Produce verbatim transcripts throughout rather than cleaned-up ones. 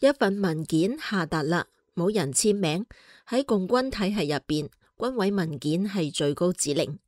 一份文件下達啦，冇人簽名。喺共軍體系入邊，軍委文件係最高指令，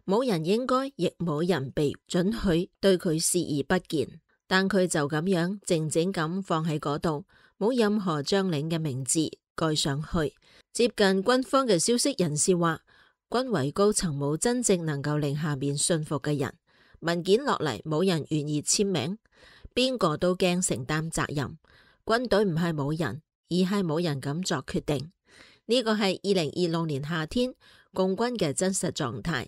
冇人應該，亦冇人被准許對佢視而不見。但佢就咁樣靜靜咁放喺嗰度，冇任何將領嘅名字蓋上去。接近軍方嘅消息人士話，軍委高層冇真正能夠令下面信服嘅人，文件落嚟冇人願意簽名，邊個都驚承擔責任。軍隊唔係冇人，而係冇人敢作決定。呢個係二零二六年夏天共軍嘅真實狀態。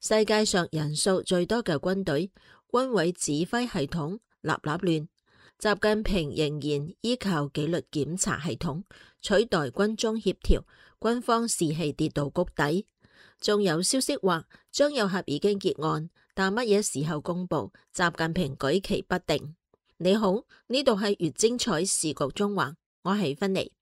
世界上人數最多嘅軍隊，軍委指揮系統立立亂。習近平仍然依靠紀律檢查系統取代軍中協調，軍方士氣跌到谷底。仲有消息話張又俠已經結案，但乜嘢時候公布，習近平舉棋不定。你好，呢度係越精彩時局中環，我係芬妮。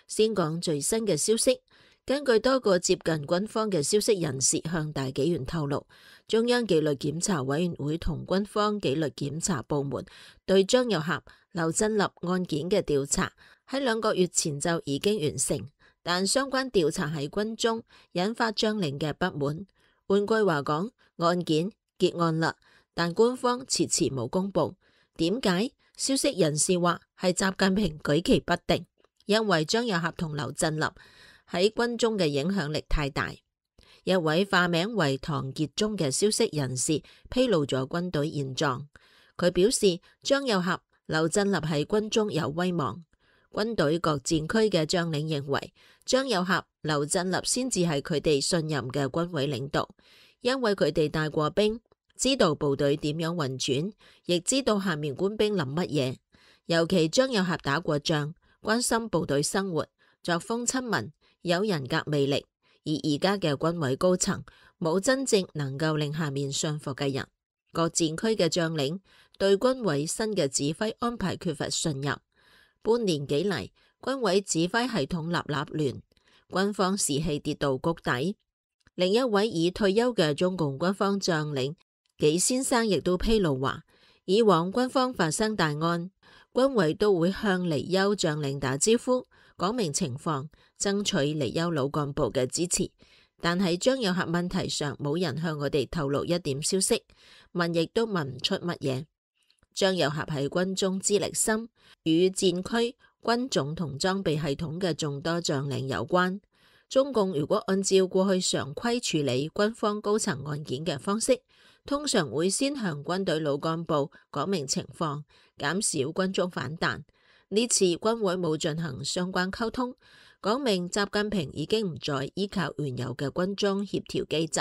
先講最新嘅消息，根據多個接近軍方嘅消息人士向大紀元透露，中央紀律檢查委員會同軍方紀律檢查部門對張又俠、劉振立案件嘅調查喺兩個月前就已經完成，但相關調查喺軍中引發將領嘅不滿。換句話講，案件結案啦，但官方遲遲冇公布。點解？消息人士話係習近平舉棋不定，因為張又俠同劉振立喺軍中嘅影響力太大。一位化名為唐傑忠嘅消息人士披露咗軍隊現狀。佢表示，張又俠、劉振立喺軍中有威望。軍隊各戰區嘅將領認為，張又俠、劉振立先至係佢哋信任嘅軍委領導，因為佢哋帶過兵，知道部隊點樣運轉，亦知道下面官兵諗乜嘢。尤其張又俠打過仗，關心部隊生活，作風親民，有人格魅力。而而家嘅軍委高層冇真正能夠令下面信服嘅人，各戰區嘅將領對軍委新嘅指揮安排缺乏信任。半年幾嚟，軍委指揮系統立立亂，軍方士氣跌到谷底。另一位已退休嘅中共軍方將領紀先生亦都披露話，以往軍方發生大案，軍委都會向離休將領打招呼，講明情況，爭取離休老幹部嘅支持。但喺張又俠問題上，冇人向我哋透露一點消息，問亦都問唔出乜嘢。張又俠喺軍中資歷深，與戰區、軍種同裝備系統嘅眾多將領有關。中共如果按照過去常規處理軍方高層案件嘅方式，通常會先向軍隊老幹部講明情況，減少軍中反彈。呢次軍委冇進行相關溝通，講明習近平已經唔再依靠原有嘅軍中協調機制。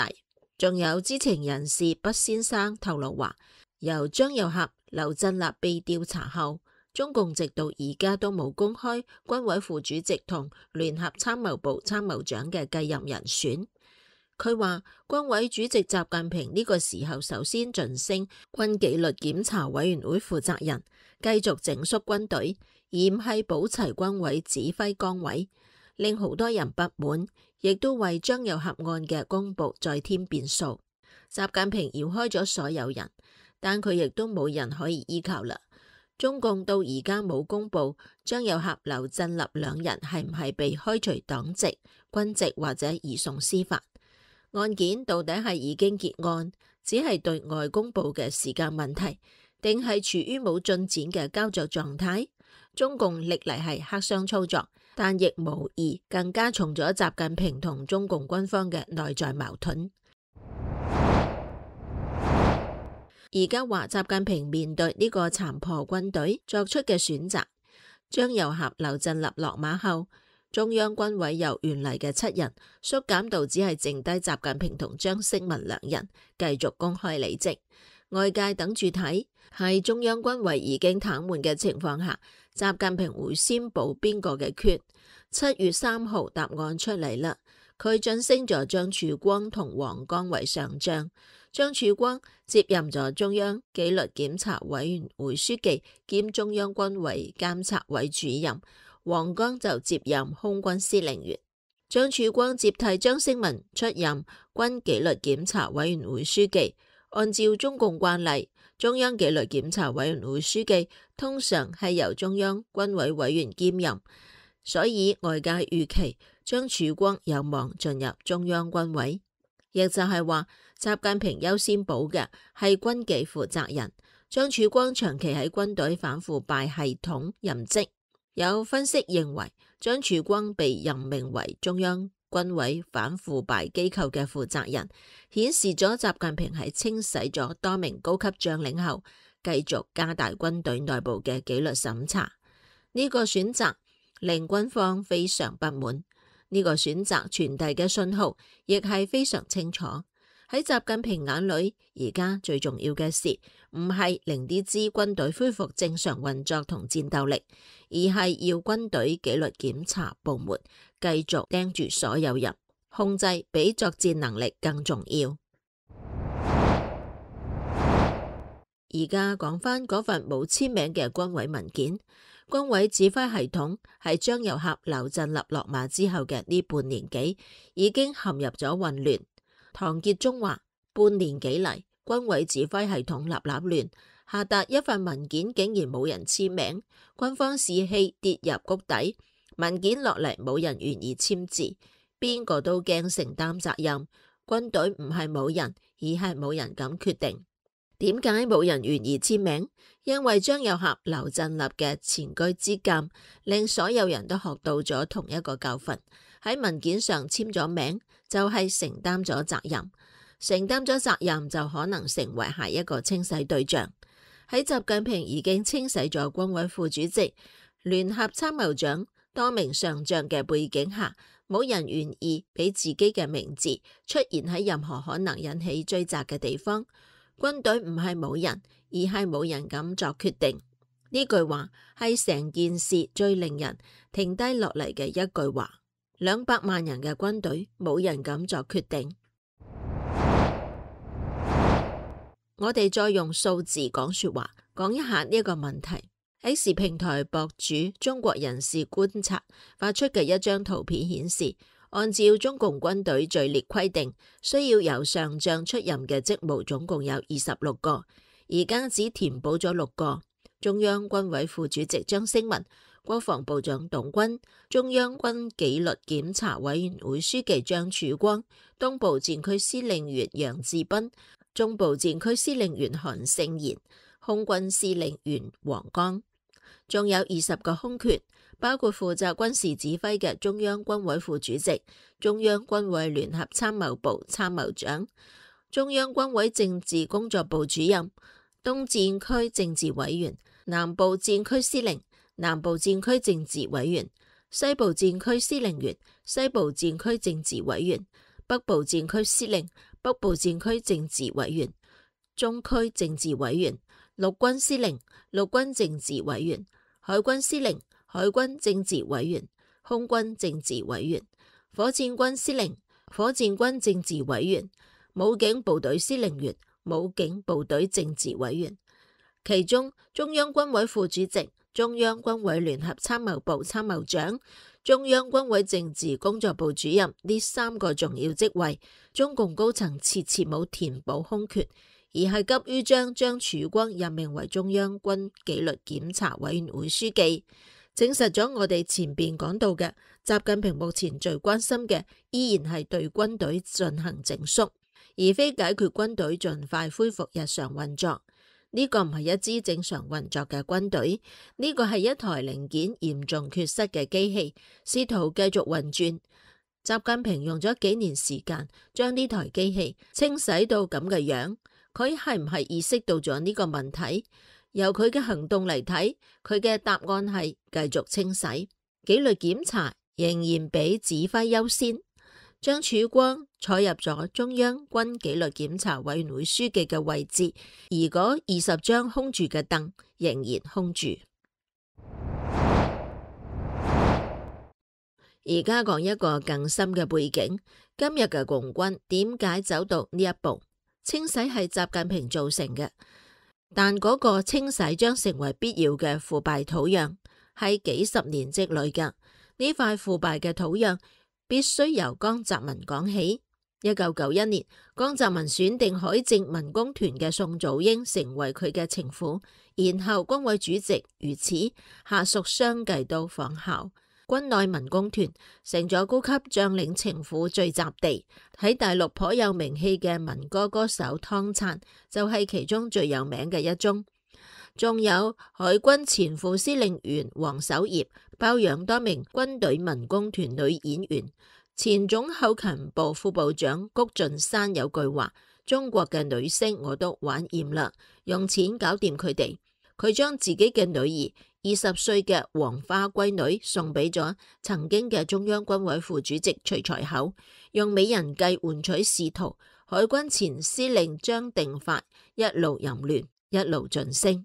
仲有知情人士畢先生透露話，由張又俠、劉振立被調查後，中共直到而家都冇公開軍委副主席同聯合參謀部參謀長嘅繼任人選。佢話軍委主席習近平呢個時候首先晉升軍紀律檢查委員會負責人，繼續整肅軍隊，而唔係保齊軍委指揮崗位，令好多人不滿，亦都為張又俠案嘅公布再添變數。習近平搖開咗所有人，但佢亦都冇人可以依靠啦。中共到而家冇公布張又俠、劉振立兩人係唔係被開除黨籍、軍籍或者移送司法。案件到底係已經結案，只係對外公布嘅時間問題，定係處於冇進展嘅膠着狀態？中共歷嚟係黑箱操作，但亦無疑更加重咗習近平同中共軍方嘅內在矛盾。而家話習近平面對呢個殘破軍隊作出嘅選擇，張又俠、劉振立落馬後，中央軍委由原嚟嘅七人縮減到只係剩低習近平同張適文兩人，繼續公開履職。外界等住睇，喺中央軍委已經癱瘓嘅情況下，習近平會先補邊個嘅缺？七月三號答案出嚟啦，佢晉升咗張曙光同黃剛為上將。張曙光接任咗中央紀律檢查委員會書記兼中央軍委監察委主任，黃剛就接任空軍司令員。張曙光接替張適文出任軍紀律檢查委員會書記，按照中共慣例，中央紀律檢查委員會書記通常係由中央軍委委員兼任，所以外界預期張曙光有望進入中央軍委，亦就係話習近平優先保嘅係軍紀負責人。張曙光長期喺軍隊反腐敗系統任職，有分析認為張曙光被任命為中央軍委反腐敗機構嘅負責人，顯示咗習近平喺清洗咗多名高級將領後，繼續加大軍隊內部嘅紀律審查。呢個選擇令軍方非常不滿，呢個選擇傳遞嘅信號亦係非常清楚。喺習近平眼裏，而家最重要嘅事唔係令呢支軍隊恢復正常運作同戰鬥力，而係要軍隊紀律檢查部門繼續盯住所有人，控制比作戰能力更重要。而家講翻嗰份冇簽名嘅軍委文件，軍委指揮系統喺張又俠、劉振立落馬之後嘅呢半年幾，已經陷入咗混亂。唐傑忠話：半年幾嚟，軍委指揮系統立立亂，下達一份文件竟然冇人簽名，軍方士氣跌入谷底。文件落嚟冇人願意簽字，邊個都驚承擔責任。軍隊唔係冇人，而係冇人敢決定。點解冇人願意簽名？因為張又俠、劉振立嘅前車之鑑，令所有人都學到咗同一個教訓。喺文件上簽咗名，就係承擔咗責任。承擔咗責任，就可能成為下一個清洗對象。喺習近平已經清洗咗軍委副主席、聯合參謀長、多名上將嘅背景下，冇人願意俾自己嘅名字出現喺任何可能引起追責嘅地方。軍隊唔係冇人，而係冇人敢作決定。呢句話係成件事最令人停低落嚟嘅一句話。兩百萬人嘅軍隊，冇人敢作決定。我哋再用數字講說話，講一下呢一個問題。X 平台博主中國人士觀察發出嘅一張圖片顯示，按照中共軍隊序列規定，需要由上將出任嘅職務總共有二十六個，而家只填補咗六個。中央軍委副主席張升文、國防部長董軍、中央軍紀律檢查委員會書記張曙光、東部戰區司令員楊志斌、中部戰區司令員韓勝賢、空軍司令員黃剛，仲有二十個空缺，包括負責軍事指揮嘅中央軍委副主席、中央軍委聯合參謀部參謀長、中央軍委政治工作部主任、東戰區政治委員、南部戰區司令、南部戰區政治委員、西部戰區司令員、西部戰區政治委員、北部戰區司令、北部戰區政治委員、中區政治委員、陸軍司令、陸軍政治委員、海軍司令、海軍政治委員、空軍政治委員、火箭軍司令、火箭軍政治委員、武警部隊司令員、武警部隊政治委員。其中中央軍委副主席、中央軍委聯合參謀部參謀長、中央軍委政治工作部主任呢三個重要職位，中共高層遲遲冇填補空缺，而係急於將張曙光任命為中央軍紀律檢查委員會書記，證實咗我哋前邊講到嘅，習近平目前最關心嘅依然係對軍隊進行整肅，而非解決軍隊盡快恢復日常運作。呢個唔係一支正常運作嘅軍隊，呢個係一台零件嚴重缺失嘅機器，試圖繼續運轉。習近平用咗幾年時間將呢台機器清洗到咁嘅樣，佢係唔係意識到咗呢個問題？由佢嘅行動嚟睇，佢嘅答案係繼續清洗，紀律檢查仍然比指揮優先。張曙光坐入咗中央軍紀律檢查委員會書記嘅位置，而嗰二十張空住嘅凳仍然空住。而家講一個更深嘅背景，今日嘅共軍點解走到呢一步？清洗係習近平造成嘅，但嗰個清洗將成為必要嘅腐敗土壤，係幾十年積累嘅。呢塊腐敗嘅土壤必須由江澤民講起。一九九一年，江澤民選定海政民工團嘅宋祖英成為佢嘅情婦，然後軍委主席如此，下屬相繼都仿效。軍內民工團成咗高級將領情婦聚集地，喺大陸頗有名氣嘅民歌歌手湯燦就係其中最有名嘅一宗。仲有海軍前副司令員黃守業包養多名軍隊民工團女演員。前總後勤部副部長谷俊山有句話：中國嘅女星我都玩厭啦，用錢搞掂佢哋。佢將自己嘅女兒二十歲嘅黃花閨女送俾咗曾經嘅中央軍委副主席徐才厚，用美人計換取仕途。海軍前司令張定發一路淫亂，一路晉升。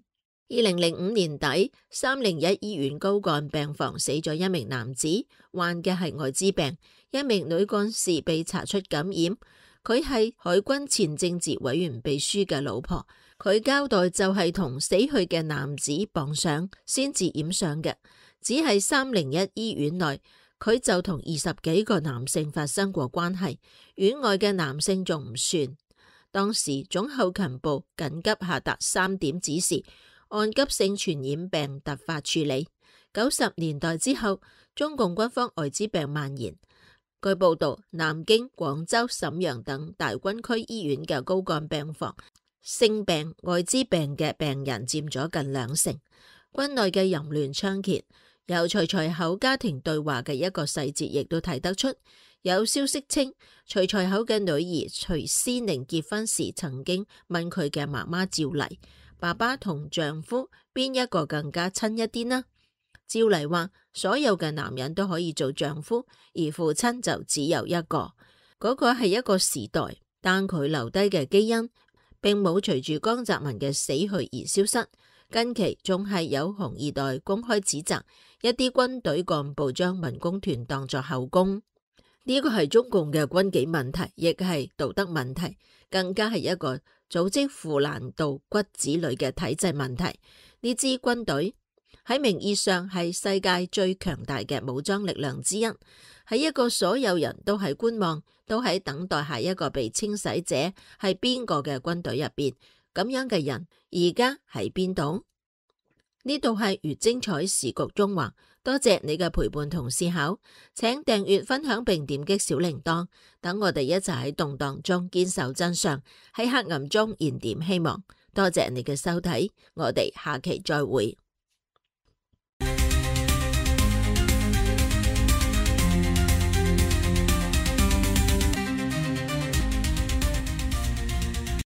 二零零五年底，三零一醫院高幹病房死咗一名男子，患嘅係艾滋病。一名女幹事被查出感染，佢係海軍前政治委員秘書嘅老婆。佢交代就係同死去嘅男子傍上先至染上嘅，只係三零一醫院內，佢就同二十幾個男性發生過關係，院外嘅男性仲唔算。當時總後勤部緊急下達三點指示，按急性傳染病突發處理。九十年代之後，中共軍方艾滋病蔓延。據報道，南京、廣州、瀋陽等大軍區醫院嘅高幹病房，性病、艾滋病嘅病人佔咗近兩成。軍內嘅淫亂猖獗，由徐才厚家庭對話嘅一個細節亦都睇得出。有消息稱，徐才厚嘅女兒徐思寧結婚時曾經問佢嘅媽媽趙麗：爸爸同丈夫邊一個更加親一啲呢？趙麗話：所有嘅男人都可以做丈夫，而父親就只有一個。嗰個係一個時代，但佢留低嘅基因並冇隨住江澤民嘅死去而消失。近期仲係有紅二代公開指責一啲軍隊幹部將民工團當作後宮，呢個係中共嘅軍紀問題，亦係道德問題，更加係一個組織腐爛到骨子裏嘅體制問題。呢支軍隊喺名義上係世界最強大嘅武裝力量之一，喺一個所有人都喺觀望、都喺等待下一個被清洗者係邊個嘅軍隊入邊，咁樣嘅人而家喺邊度？呢度係越精彩時局中華，多謝你嘅陪伴同思考，請訂閱、分享並點擊小鈴鐺，等我哋一齊喺動盪中堅守真相，喺黑暗中燃點希望。多謝你嘅收睇，我哋下期再會。